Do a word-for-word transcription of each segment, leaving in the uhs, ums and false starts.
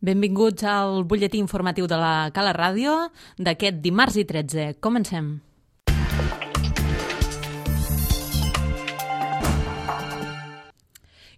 Benvinguts al butlletí informatiu de la Cala Ràdio d'aquest dimarts i tretze. Comencem.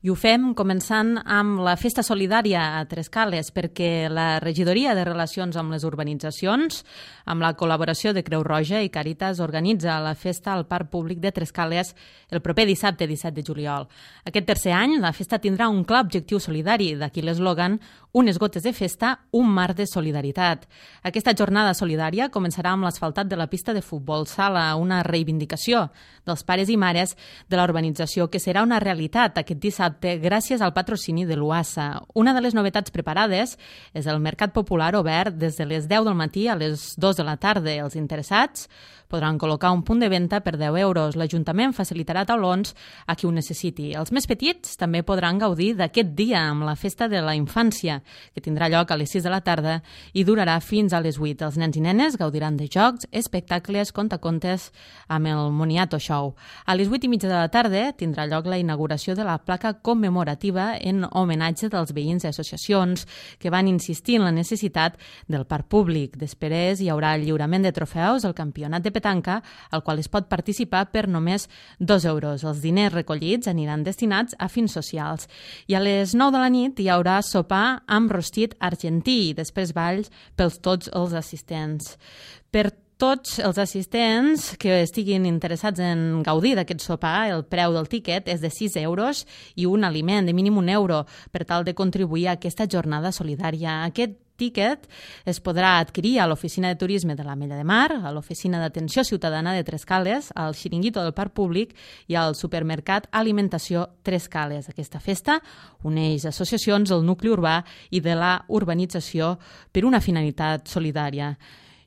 I ho fem començant amb la Festa Solidària a Trescales, perquè la Regidoria de Relacions amb les Urbanitzacions, amb la col·laboració de Creu Roja i Càritas, organitza la festa al Parc Públic de Trescales el proper dissabte disset de juliol. Aquest tercer any, la festa tindrà un clar objectiu solidari, d'aquí l'eslògan «Unes gotes de festa, un mar de solidaritat». Aquesta jornada solidària començarà amb l'asfaltat de la pista de futbol sala, una reivindicació dels pares i mares de la urbanització que serà una realitat aquest dissabte gràcies al patrocini de l'U A S A. Una de les novetats preparades és el Mercat Popular obert des de les deu del matí a les dues de la tarda. Els interessats podran col·locar un punt de venda per deu euros. L'Ajuntament facilitarà taulons a qui ho necessiti. Els més petits també podran gaudir d'aquest dia amb la Festa de la Infància, que tindrà lloc a les sis de la tarda i durarà fins a les vuit. Els nens i nenes gaudiran de jocs, espectacles, contacontes amb el Moniato Show. A les vuit i mitja de la tarda tindrà lloc la inauguració de la placa commemorativa en homenatge dels veïns i associacions que van insistir en la necessitat del parc públic. Després hi haurà el lliurament de trofeus al campionat de petanca, al qual es pot participar per només dos euros. Els diners recollits aniran destinats a fins socials. I a les nou de la nit hi haurà sopar amb rostit argentí i després balls pels tots els assistents. Per tots els assistents que estiguin interessats en gaudir d'aquest sopar, el preu del tíquet és de sis euros i un aliment de mínim un euro per tal de contribuir a aquesta jornada solidària. Aquest tíquet es podrà adquirir a l'Oficina de Turisme de l'Ametlla de Mar, a l'Oficina d'Atenció Ciutadana de Trescales, al Xiringuito del Parc Públic i al supermercat Alimentació Trescales. Aquesta festa uneix associacions del nucli urbà i de la urbanització per una finalitat solidària.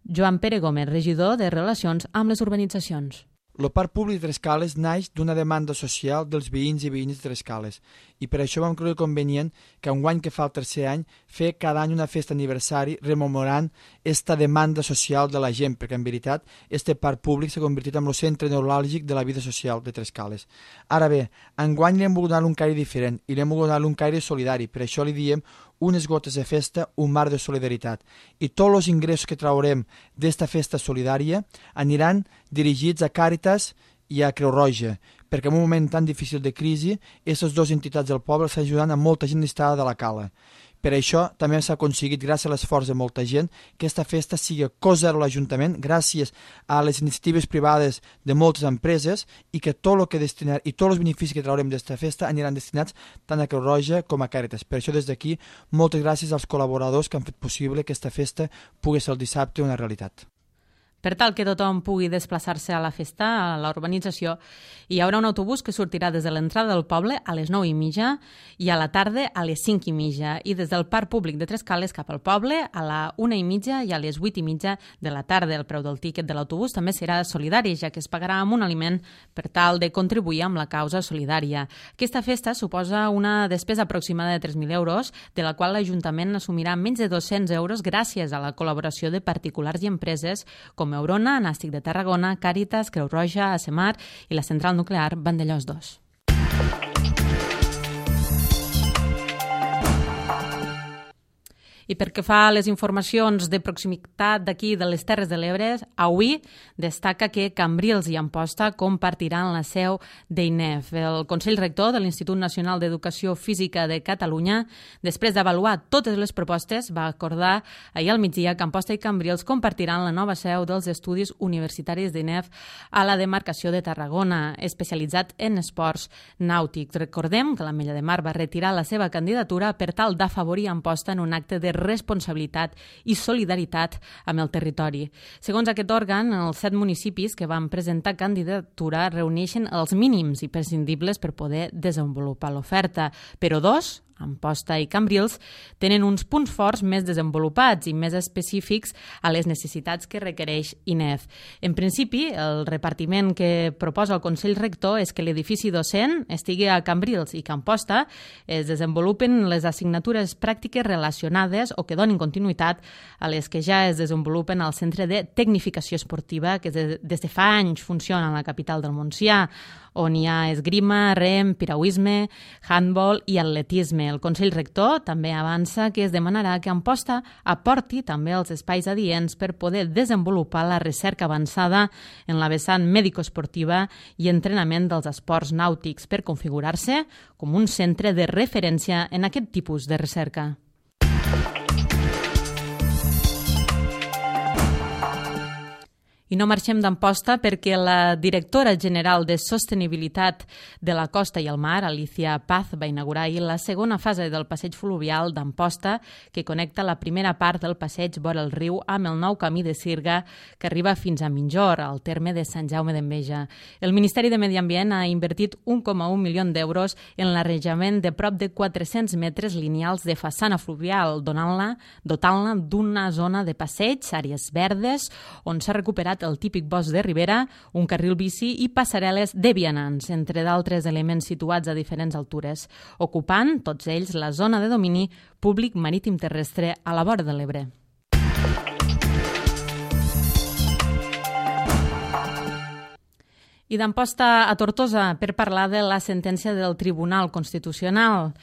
Joan Pere Gómez, regidor de Relacions amb les Urbanitzacions. El Parc Públic de Trescales naix d'una demanda social dels veïns i veïnes de Trescales i per això vam creure convenient que enguany que fa el tercer any fer cada any una festa aniversari rememorant esta demanda social de la gent, perquè en veritat este parc públic s'ha convertit en el centre neuràlgic de la vida social de Trescales. Ara bé, enguany li hem volgut donar un caire diferent i li hem volgut donar un caire solidari, per això li diem unes gotes de festa, un mar de solidaritat. I tots els ingressos que traurem d'esta festa solidària aniran dirigits a Càritas i a Creu Roja, perquè en un moment tan difícil de crisi, aquestes dues entitats del poble estan ajudant a molta gent necessitada de la cala. Per això també s'ha aconseguit, gràcies a l'esforç de molta gent, que aquesta festa sigui cost zero a l'Ajuntament, gràcies a les iniciatives privades de moltes empreses, i que tot el que destinar i tots els beneficis que traurem d'aquesta festa aniran destinats tant a Creu Roja com a Càritas. Per això, des d'aquí, moltes gràcies als col·laboradors que han fet possible que aquesta festa pugui ser el dissabte una realitat. Per tal que tothom pugui desplaçar-se a la festa, a la urbanització, hi haurà un autobús que sortirà des de l'entrada del poble a les nou i mitja i a la tarda a les cinc i mitja i des del Parc Públic de Trescales cap al poble a la una i mitja i a les vuit i mitja de la tarda. El preu del tíquet de l'autobús també serà solidari, ja que es pagarà amb un aliment per tal de contribuir amb la causa solidària. Aquesta festa suposa una despesa aproximada de tres mil euros, de la qual l'Ajuntament assumirà menys de dos-cents euros gràcies a la col·laboració de particulars i empreses com Eurona, Nàstic de Tarragona, Càritas, Creu Roja, ASEMAR i la central nuclear Vandellòs dos. I pel que fa a les informacions de proximitat d'aquí de les Terres de l'Ebre, avui destaca que Cambrils i Amposta compartiran la seu d'I N E F. El Consell Rector de l'Institut Nacional d'Educació Física de Catalunya, després d'avaluar totes les propostes, va acordar ahir al migdia que Amposta i Cambrils compartiran la nova seu dels estudis universitaris d'I N E F a la demarcació de Tarragona, especialitzat en esports nàutics. Recordem que l'Ametlla de Mar va retirar la seva candidatura per tal d'afavorir Amposta en un acte de responsabilitat i solidaritat amb el territori. Segons aquest òrgan, els set municipis que van presentar candidatura reuneixen els mínims imprescindibles per poder desenvolupar l'oferta, però dos, Amposta i Cambrils, tenen uns punts forts més desenvolupats i més específics a les necessitats que requereix I N E F. En principi, el repartiment que proposa el Consell Rector és que l'edifici docent estigui a Cambrils i que a Amposta es desenvolupen les assignatures pràctiques relacionades o que donin continuïtat a les que ja es desenvolupen al Centre de Tecnificació Esportiva, que des de fa anys funciona a la capital del Montsià, on hi ha esgrima, rem, piragüisme, handball i atletisme. El Consell Rector també avança que es demanarà que Amposta aporti també els espais adients per poder desenvolupar la recerca avançada en la vessant mèdico-esportiva i entrenament dels esports nàutics per configurar-se com un centre de referència en aquest tipus de recerca. I no marxem d'Amposta perquè la directora general de Sostenibilitat de la Costa i el Mar, Alicia Paz, va inaugurar ahir la segona fase del passeig fluvial d'Amposta, que connecta la primera part del passeig vora el riu amb el nou camí de Sirga que arriba fins a Minjor, al terme de Sant Jaume d'Enveja. El Ministeri de Medi Ambient ha invertit un coma un milió d'euros en l'arranjament de prop de quatre-cents metres lineals de façana fluvial, donant-la, dotant-la d'una zona de passeig, àrees verdes, on s'ha recuperat el típic bosc de ribera, un carril bici i passarel·les de vianants, entre d'altres elements situats a diferents altures, ocupant, tots ells, la zona de domini públic marítim terrestre a la vora de l'Ebre. I d'Amposta a Tortosa per parlar de la sentència del Tribunal Constitucional.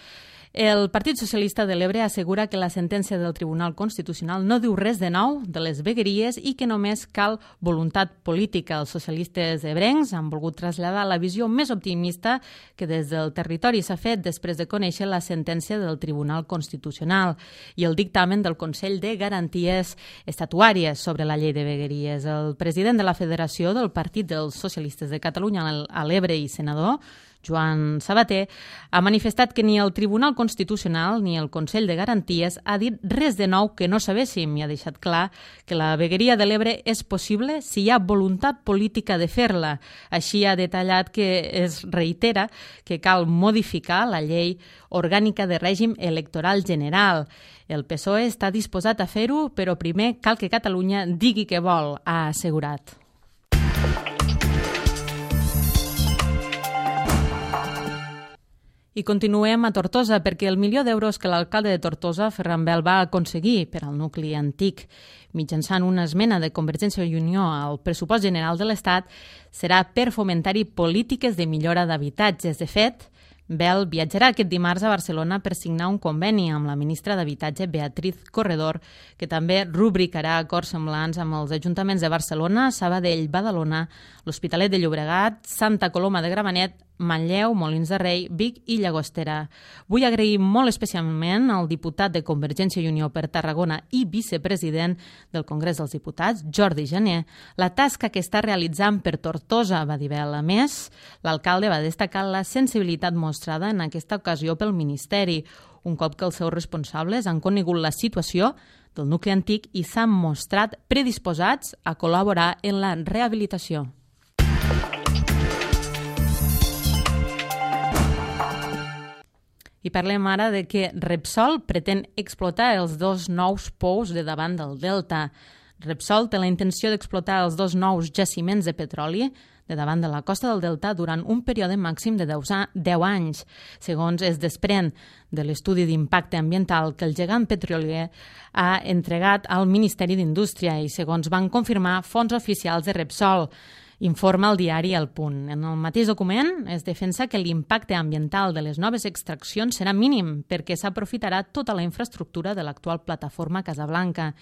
El Partit Socialista de l'Ebre assegura que la sentència del Tribunal Constitucional no diu res de nou de les vegueries i que només cal voluntat política. Els socialistes ebrencs han volgut traslladar la visió més optimista que des del territori s'ha fet després de conèixer la sentència del Tribunal Constitucional i el dictamen del Consell de Garanties Estatutàries sobre la llei de vegueries. El president de la Federació del Partit dels Socialistes de Catalunya a l'Ebre i senador, Joan Sabater, ha manifestat que ni el Tribunal Constitucional ni el Consell de Garanties ha dit res de nou que no sabéssim i ha deixat clar que la vegueria de l'Ebre és possible si hi ha voluntat política de fer-la. Així ha detallat que es reitera que cal modificar la llei orgànica de règim electoral general. El P S O E està disposat a fer-ho, però primer cal que Catalunya digui què vol, ha assegurat. I continuem a Tortosa perquè el milió d'euros que l'alcalde de Tortosa, Ferran Bel, va aconseguir per al nucli antic mitjançant una esmena de Convergència i Unió al pressupost general de l'Estat serà per fomentar-hi polítiques de millora d'habitatges. De fet, Bel viatjarà aquest dimarts a Barcelona per signar un conveni amb la ministra d'Habitatge, Beatriz Corredor, que també rubricarà acords semblants amb els ajuntaments de Barcelona, Sabadell, Badalona, l'Hospitalet de Llobregat, Santa Coloma de Gramenet, Manlleu, Molins de Rei, Vic i Llagostera. Vull agrair molt especialment al diputat de Convergència i Unió per Tarragona i vicepresident del Congrés dels Diputats, Jordi Jané, la tasca que està realitzant per Tortosa, va dir Bel. A més, l'alcalde va destacar la sensibilitat mostrada en aquesta ocasió pel Ministeri, un cop que els seus responsables han conegut la situació del nucli antic i s'han mostrat predisposats a col·laborar en la rehabilitació. I parlem ara de que Repsol pretén explotar els dos nous pous de davant del Delta. Repsol té la intenció d'explotar els dos nous jaciments de petroli de davant de la costa del Delta durant un període màxim de deu anys, segons es desprèn de l'estudi d'impacte ambiental que el gegant petrolier ha entregat al Ministeri d'Indústria i segons van confirmar fonts oficials de Repsol. Informa el diari El Punt. En el mateix document es defensa que l'impacte ambiental de les noves extraccions serà mínim perquè s'aprofitarà tota la infraestructura de l'actual plataforma Casablanca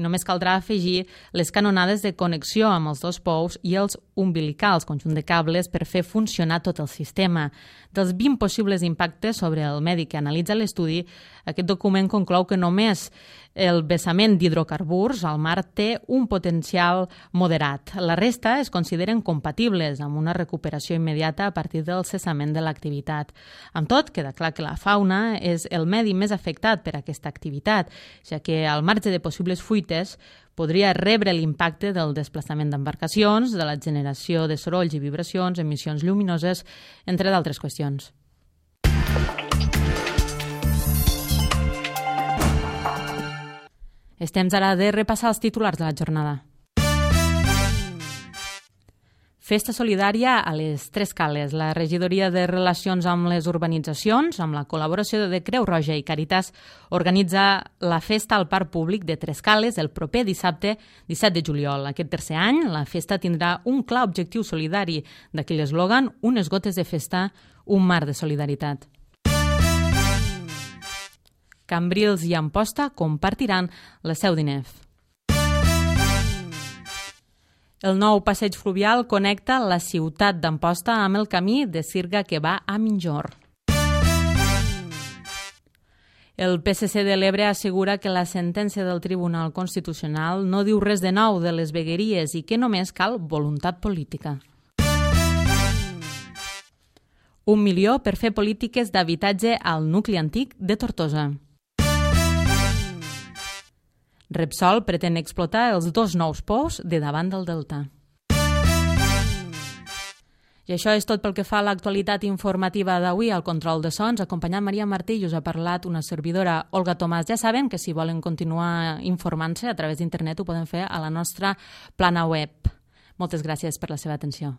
i només caldrà afegir les canonades de connexió amb els dos pous i els umbilicals, conjunt de cables, per fer funcionar tot el sistema. Dels vint possibles impactes sobre el medi que analitza l'estudi, aquest document conclou que només el vessament d'hidrocarburs al mar té un potencial moderat. La resta es consideren compatibles amb una recuperació immediata a partir del cessament de l'activitat. Amb tot, queda clar que la fauna és el medi més afectat per aquesta activitat, ja que al marge de possibles fuites podria rebre l'impacte del desplaçament d'embarcacions, de la generació de sorolls i vibracions, emissions lluminoses, entre d'altres qüestions. És temps ara de repassar els titulars de la jornada. Festa solidària a les Tres Cales. La regidoria de Relacions amb les Urbanitzacions, amb la col·laboració de Creu Roja i Càritas, organitza la festa al Parc Públic de Tres Cales el proper dissabte disset de juliol. Aquest tercer any, la festa tindrà un clar objectiu solidari d'aquell eslògan, unes gotes de festa, un mar de solidaritat. Cambrils i Amposta compartiran la Seu d'Inef. El nou passeig fluvial connecta la ciutat d'Amposta amb el camí de Sirga que va a Minjor. El P S C de l'Ebre assegura que la sentència del Tribunal Constitucional no diu res de nou de les vegueries i que només cal voluntat política. Un milió per fer polítiques d'habitatge al nucli antic de Tortosa. Repsol pretén explotar els dos nous pous de davant del delta. I això és tot pel que fa a l'actualitat informativa d'avui. Al control de sons, acompanyant Maria Martí, i us ha parlat una servidora, Olga Tomàs. Ja saben que si volen continuar informant-se a través d'internet ho poden fer a la nostra plana web. Moltes gràcies per la seva atenció.